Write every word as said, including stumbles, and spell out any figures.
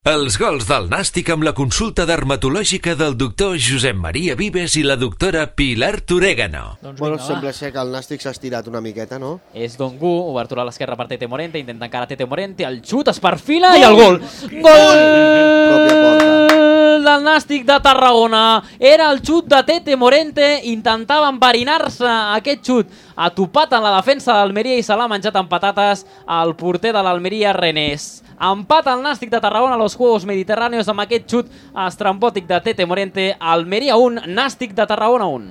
Els gols del Nàstic amb la consulta dermatològica del doctor Josep Maria Vives i la doctora Pilar Torégano. Doncs Bueno, vinga, sembla va. ser que el Nàstic s'ha estirat una miqueta, no? És Dongu, obertura a l'esquerra per Tete Morente, intenta encara Tete Morente, el xut es perfila i el gol. Gol del Nàstic de Tarragona. Era el xut de Tete Morente, intentava enverinar-se aquest xut. Ha topat en la defensa d'Almeria i se l'ha menjat amb patates al porter de l'Almeria, Renés. Empat al Nàstic de Tarragona a los Juegos Mediterráneos amb aquest xut estrambòtic de Tete Morente. Almeria un, Nàstic de Tarragona un.